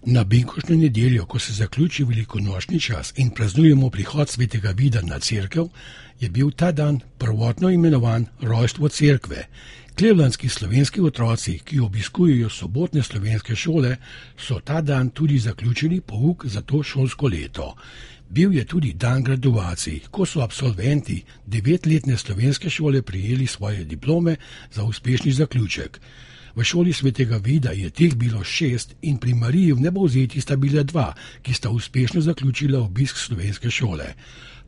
Na binkoštno nedeljo, ko se zaključi velikonočni čas in praznujemo prihod svetega Vida na cerkev, je bil ta dan prvotno imenovan rojstvo cerkve. Clevelandski slovenski otroci, ki obiskujejo sobotne slovenske šole, so ta dan tudi zaključili pouk za to šolsko leto. Bil je tudi dan graduacij, ko so absolventi 9-letne slovenske šole prijeli svoje diplome za uspešni zaključek. V šoli svetega Vida je teh bilo 6 in pri Mariji v Nebovzeti sta bila 2, ki sta uspešno zaključila obisk slovenske šole.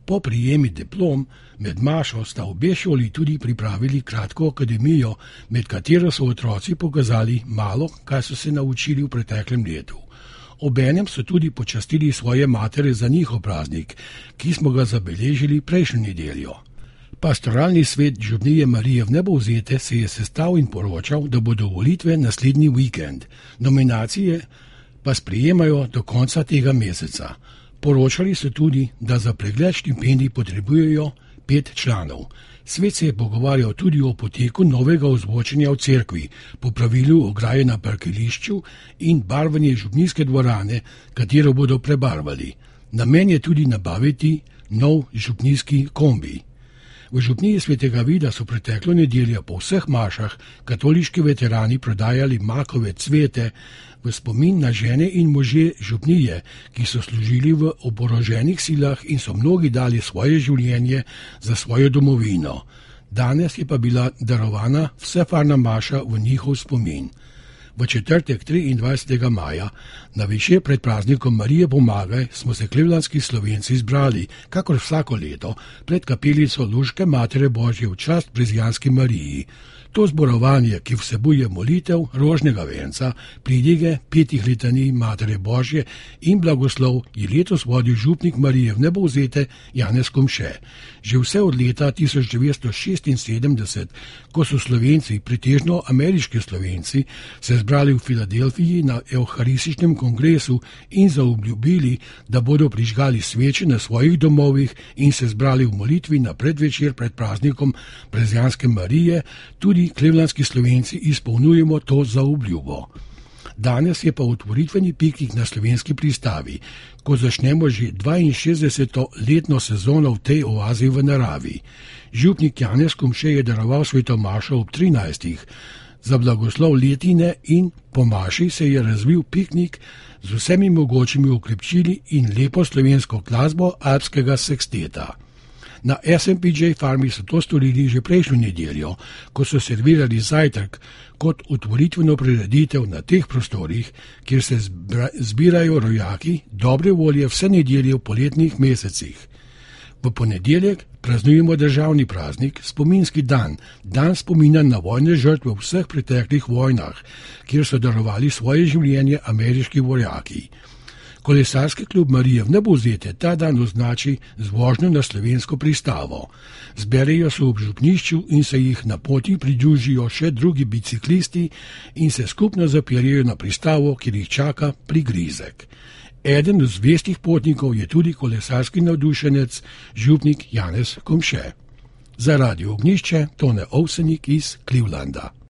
Po prijemi diplom med mašo sta obe šoli tudi pripravili kratko akademijo, med katero so otroci pokazali malo, kaj so se naučili v preteklem letu. Obenem so tudi počastili svoje matere za njihov praznik, ki smo ga zabeležili prejšnjo nedeljo. Pastoralni svet župnije Marije v Nebovzete se je sestal in poročal, da bodo volitve naslednji vikend. Nominacije pa sprejemajo do konca tega meseca. Poročali so tudi, da za pregled štipendij potrebujejo 5 članov. Svet se je pogovarjal tudi o poteku novega ozvočenja v cerkvi, po pravilu ograje na parkirišču in barvanje župnijske dvorane, katero bodo prebarvali. Namen je tudi nabaviti nov župnijski kombi. V župniji svetega Vida so preteklo nedeljo po vseh mašah katoliški veterani prodajali makove cvete v spomin na žene in može župnije, ki so služili v oboroženih silah in so mnogi dali svoje življenje za svojo domovino. Danes je pa bila darovana vsefarna maša v njihov spomin. V četrtek 23. maja, na više pred praznikom Marije Pomagaj, smo se clevelandski Slovenci zbrali, kakor vsako leto, pred kapelico Luške Matere Božje v čast Prezijanski Mariji. To zborovanje, ki vsebuje molitev, rožnega venca, pridige, 5 litanij Matere Božje in blagoslov, je letos vodil župnik Marije v Nebovzete Janez Komše. Že vse od leta 1976, ko so Slovenci, pretežno ameriški Slovenci, se zbrali v Filadelfiji na evharističnem kongresu in zaobljubili, da bodo prižgali sveče na svojih domovih in se zbrali v molitvi na predvečer pred praznikom Prezijanske Marije, tudi clevelandski Slovenci izpolnjujemo to zaobljubo. Danes je pa otvoritveni piknik na slovenski pristavi, ko začnemo že 62. letno sezono v tej oazi v naravi. Župnik Janez Komše je daroval sveto mašo ob 13. za blagoslov letine in po maši se je razvil piknik z vsemi mogočimi okrepčili in lepo slovensko glasbo alpskega seksteta. Na SMPJ farmi so to storili že prejšnjo nedeljo, ko so servirali zajtrk kot otvoritveno prireditev na teh prostorih, kjer se zbirajo rojaki dobre volje vse nedelje v poletnih mesecih. V ponedeljek praznujemo državni praznik, spominski dan, dan spomina na vojne žrtve v vseh preteklih vojnah, kjer so darovali svoje življenje ameriški vojaki. Kolesarski klub Marije v Nebovzete ta dan označi z vožnjo na slovensko pristavo. Zberejo se v župnišču in se jih na poti pridružijo še drugi biciklisti in se skupno zapeljejo na pristavo, kjer jih čaka prigrizek. Eden od zvestih potnikov je tudi kolesarski navdušenec, župnik Janez Komše. Za Radio Ognjišče Tone Ovsenik iz Clevelanda.